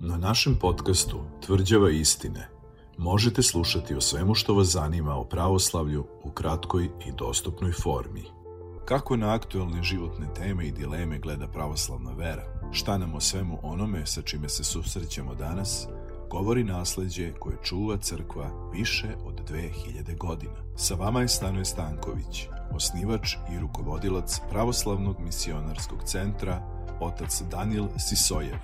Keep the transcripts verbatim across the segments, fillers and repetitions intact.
Na našem podcastu Tvrđava istine možete slušati o svemu što vas zanima o pravoslavlju u kratkoj i dostupnoj formi. Kako na aktuelne životne teme i dileme gleda pravoslavna vera? Šta nam o svemu onome sa čime se susrećemo danas govori nasleđe koje čuva crkva više od dve hiljade godina. Sa vama je Stanoje Stanković, osnivač i rukovodilac Pravoslavnog misionarskog centra, otac Danijel Sisojev,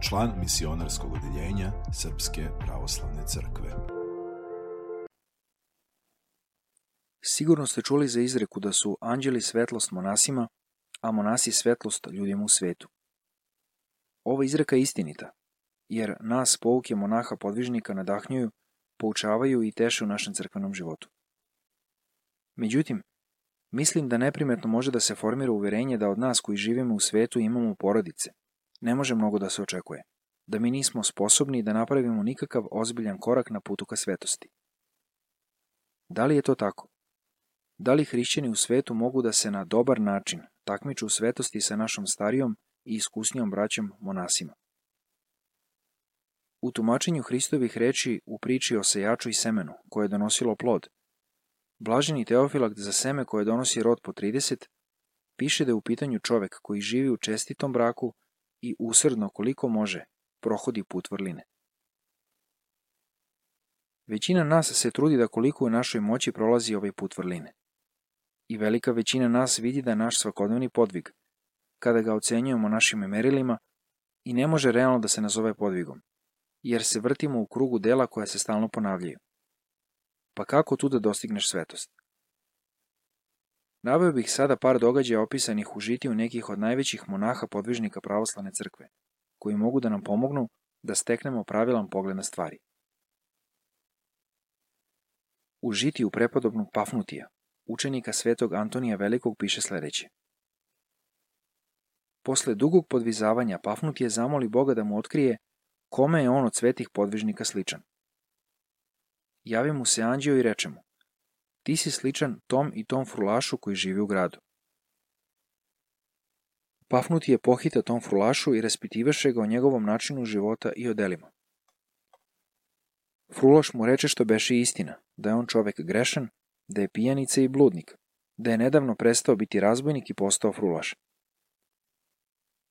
član misionarskog odeljenja Srpske pravoslavne crkve. Sigurno ste čuli za izreku da su anđeli svetlost monasima, a monasi svetlost ljudima u svetu. Ova izreka je istinita, jer nas pouke monaha podvižnika nadahnjuju, poučavaju i teše u našem crkvenom životu. Međutim, mislim da neprimetno može da se formira uverenje da od nas koji živimo u svetu imamo porodice. Ne može mnogo da se očekuje, da mi nismo sposobni da napravimo nikakav ozbiljan korak na putu ka svetosti. Da li je to tako? Da li hrišćani u svetu mogu da se na dobar način takmiču u svetosti sa našom starijom i iskusnijom braćom monasima? U tumačenju Hristovih reči u priči o sejaču i semenu koje je donosilo plod, blaženi Teofilakt za seme koje donosi rod po trideset, piše da je u pitanju čovek koji živi u čestitom braku i usrdno koliko može prohodi put vrline. Većina nas se trudi da koliko u našoj moći prolazi ovaj put vrline. I velika većina nas vidi da je naš svakodnevni podvig, kada ga ocenjujemo našim merilima, i ne može realno da se nazove podvigom, jer se vrtimo u krugu dela koja se stalno ponavljaju. Pa kako tu da dostigneš svetost? Naveo bih sada par događaja opisanih u žitiju nekih od najvećih monaha podvižnika pravoslavne crkve, koji mogu da nam pomognu da steknemo pravilan pogled na stvari. U žitiju prepodobnog Pafnutija, učenika svetog Antonija Velikog, piše sledeće. Posle dugog podvizavanja Pafnutije zamoli Boga da mu otkrije kome je on od svetih podvižnika sličan. Javi mu se anđeo i reče mu: ti si sličan tom i tom frulašu koji živi u gradu. Pafnutije pohita tom frulašu i raspitivaše ga o njegovom načinu života i o delima. Frulaš mu reče što beše istina, da je on čovek grešan, da je pijanica i bludnik, da je nedavno prestao biti razbojnik i postao frulaš.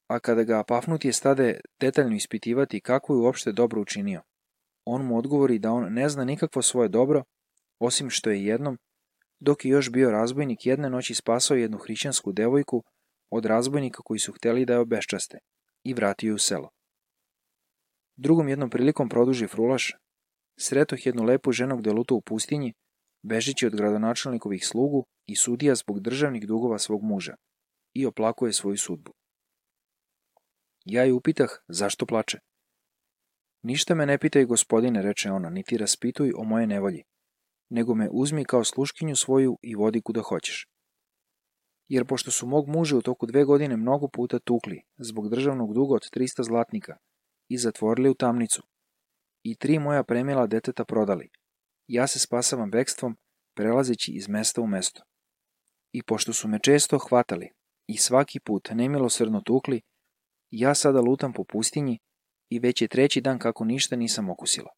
A kada ga Pafnutije stade detaljno ispitivati kako je uopšte dobro učinio, on mu odgovori da on ne zna nikakvo svoje dobro, osim što je jednom, dok je još bio razbojnik, jedne noći spasao jednu hrišćansku devojku od razbojnika koji su hteli da je obeščaste i vratio je u selo. Drugom jednom prilikom, produži frulaš, sretoh jednu lepu ženu gde luta u pustinji, bežeći od gradonačelnikovih slugu i sudija zbog državnih dugova svog muža, i oplakuje svoju sudbu. Ja je upitah zašto plače. Ništa me ne pitaj, gospodine, reče ona, niti raspituj o moje nevolji, nego me uzmi kao sluškinju svoju i vodi kuda hoćeš. Jer pošto su mog muža u toku dve godine mnogo puta tukli zbog državnog duga od trista zlatnika i zatvorili u tamnicu, i tri moja premila deteta prodali, ja se spasavam bekstvom, prelazeći iz mesta u mesto. I pošto su me često hvatali i svaki put nemilosrdno tukli, ja sada lutam po pustinji i već je treći dan kako ništa nisam okusila.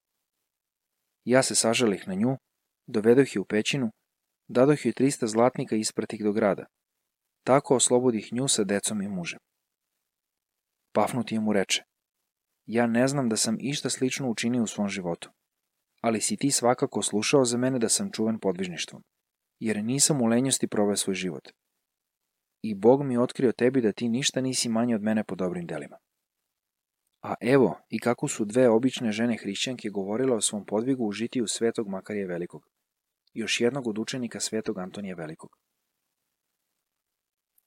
Ja se sažalih na nju, dovedoh je u pećinu, dadoh joj trista zlatnika i ispratih do grada. Tako oslobodih nju sa decom i mužem. Pafnutije mu reče: ja ne znam da sam išta slično učinio u svom životu, ali si ti svakako slušao za mene da sam čuvan podvižništvom, jer nisam u lenjosti proveo svoj život. I Bog mi je otkrio tebi da ti ništa nisi manje od mene po dobrim delima. A evo i kako su dve obične žene hrišćanke govorile o svom podvigu u žitiju svetog Makarija Velikog, još jednog od učenika svetog Antonija Velikog.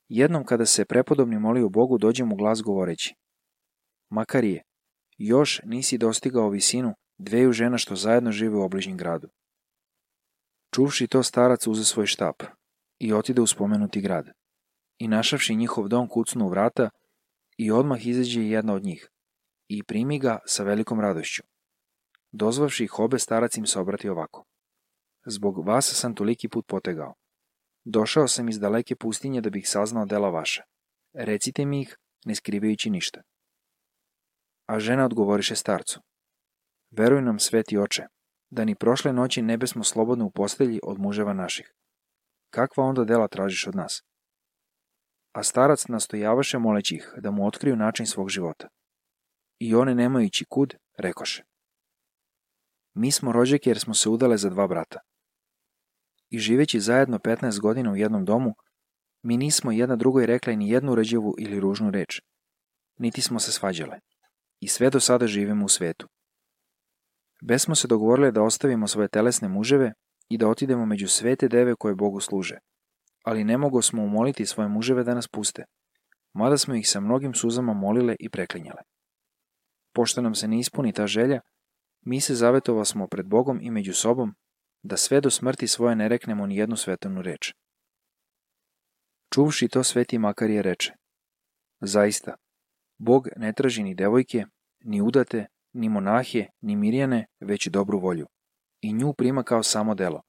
Jednom kada se prepodobni molio Bogu, dođe mu glas govoreći: Makarije, još nisi dostigao visinu dveju žena što zajedno žive u obližnjem gradu. Čuvši to, starac uze svoj štap i otide u spomenuti grad. I našavši njihov dom, kucnu u vrata i odmah izađe jedna od njih i primi ga sa velikom radošću. Dozvavši ih obe, starac im se obrati ovako: zbog vas sam toliki put potegao. Došao sam iz daleke pustinje da bih saznao dela vaša. Recite mi ih, ne skrivajući ništa. A žena odgovoriše starcu: Veruj nam, sveti oče, da ni prošle noći ne besmo slobodno u postelji od muževa naših. Kakva onda dela tražiš od nas? A starac nastojavaše moleći ih da mu otkriju način svog života. I one, nemajući kud, rekoše: Mi smo rođake jer smo se udale za dva brata. I živeći zajedno petnaest godina u jednom domu, mi nismo jedna drugoj rekle ni jednu rđavu ili ružnu reč, niti smo se svađale. I sve do sada živimo u svetu. Besmo se dogovorile da ostavimo svoje telesne muževe i da otidemo među svete deve koje Bogu služe, ali ne mogo smo umoliti svoje muževe da nas puste, mada smo ih sa mnogim suzama molile i preklinjale. Pošto nam se ne ispuni ta želja, mi se zavetova smo pred Bogom i među sobom da sve do smrti svoje ne reknemo ni jednu svetovnu reč. Čuvši to, sveti Makarije reče: Zaista, Bog ne traži ni devojke, ni udate, ni monahije, ni mirjane, već dobru volju. I nju prima kao samo delo.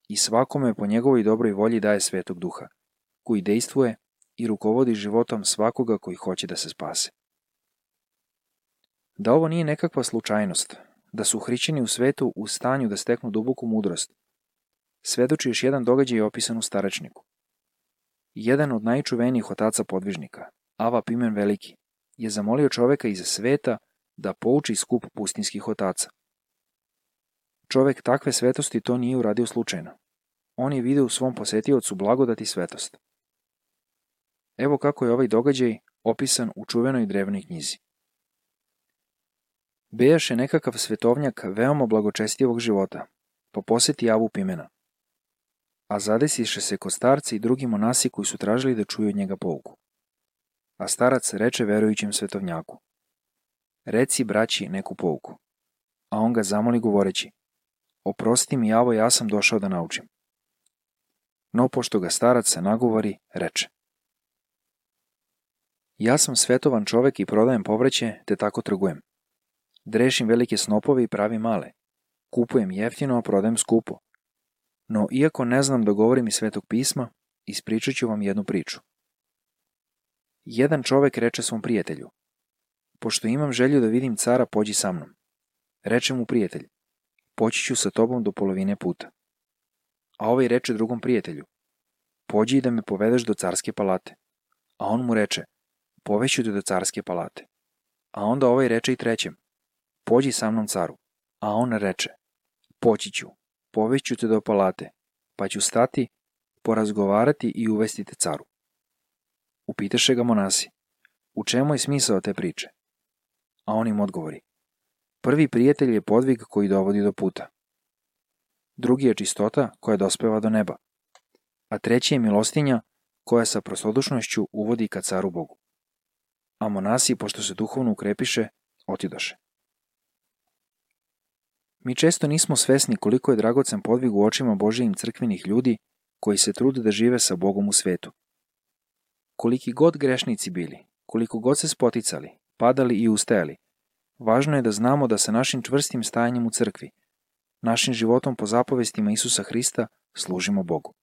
I svakome po njegovoj dobroj volji daje Svetog Duha, koji dejstvuje i rukovodi životom svakoga koji hoće da se spase. Da ovo nije nekakva slučajnost, da su hrišćani u svetu u stanju da steknu duboku mudrost, svedoči još jedan događaj opisan u Starečniku. Jedan od najčuvenijih otaca podvižnika, Ava Pimen Veliki, je zamolio čoveka iza sveta da pouči skup pustinskih otaca. Čovek takve svetosti to nije uradio slučajno. On je video u svom posetiocu blagodat i svetost. Evo kako je ovaj događaj opisan u čuvenoj drevnoj knjizi. Bejaše nekakav svetovnjak veoma blagočestijevog života, pa poseti Avu Pimena. A zadesiše se kod starci i drugi monasi koji su tražili da čuju od njega pouku. A starac reče verujućem svetovnjaku: Reci braći neku pouku. A on ga zamoli govoreći: Oprosti mi, Avo, ja sam došao da naučim. No pošto ga starac se nagovori, reče: Ja sam svetovan čovek i prodajem povrće, te tako trgujem. Drešim velike snopove i pravim male. Kupujem jeftino, a prodajem skupo. No, iako ne znam da govorim iz Svetog pisma, ispričat ću vam jednu priču. Jedan čovek reče svom prijatelju: Pošto imam želju da vidim cara, pođi sa mnom. Reče mu prijatelj: Poći ću sa tobom do polovine puta. A ovaj reče drugom prijatelju: Pođi da me povedeš do carske palate. A on mu reče: Poveću te do carske palate. A onda ovaj reče i trećem: Pođi sa mnom caru. A on reče: Poći ću, poveću te do palate, pa ću stati, porazgovarati i uvesti te caru. Upitaše ga monasi: U čemu je smisao te priče? A on im odgovori: Prvi prijatelj je podvig koji dovodi do puta. Drugi je čistota koja dospeva do neba. A treći je milostinja koja sa prostodušnošću uvodi ka caru Bogu. A monasi, pošto se duhovno ukrepiše, otidoše. Mi često nismo svesni koliko je dragocen podvig u očima Božijim crkvenih ljudi koji se trude da žive sa Bogom u svetu. Koliki god grešnici bili, koliko god se spoticali, padali i ustajali, važno je da znamo da sa našim čvrstim stajanjem u crkvi, našim životom po zapovestima Isusa Hrista, služimo Bogu.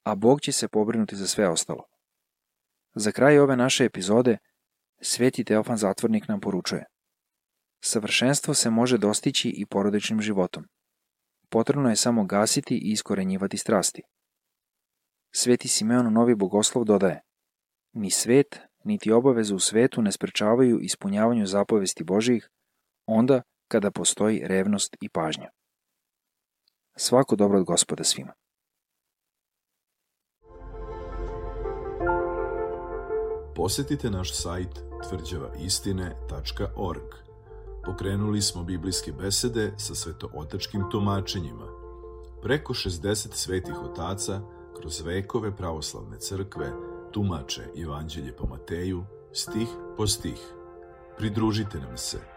A Bog će se pobrinuti za sve ostalo. Za kraj ove naše epizode, sveti Teofan Zatvornik nam poručuje: Savršenstvo se može dostići i porodičnim životom. Potrebno je samo gasiti i iskorenjivati strasti. Sveti Simeon Novi Bogoslov dodaje: Ni svet, niti obaveze u svetu ne sprečavaju ispunjavanju zapovesti Božijih onda kada postoji revnost i pažnja. Svako dobro od Gospoda svima. Posetite naš sajt tvrđava istine tačka org. Pokrenuli smo biblijske besede sa svetootačkim tumačenjima. Preko šezdeset svetih otaca kroz vekove pravoslavne crkve tumače Evanđelje po Mateju, stih po stih. Pridružite nam se.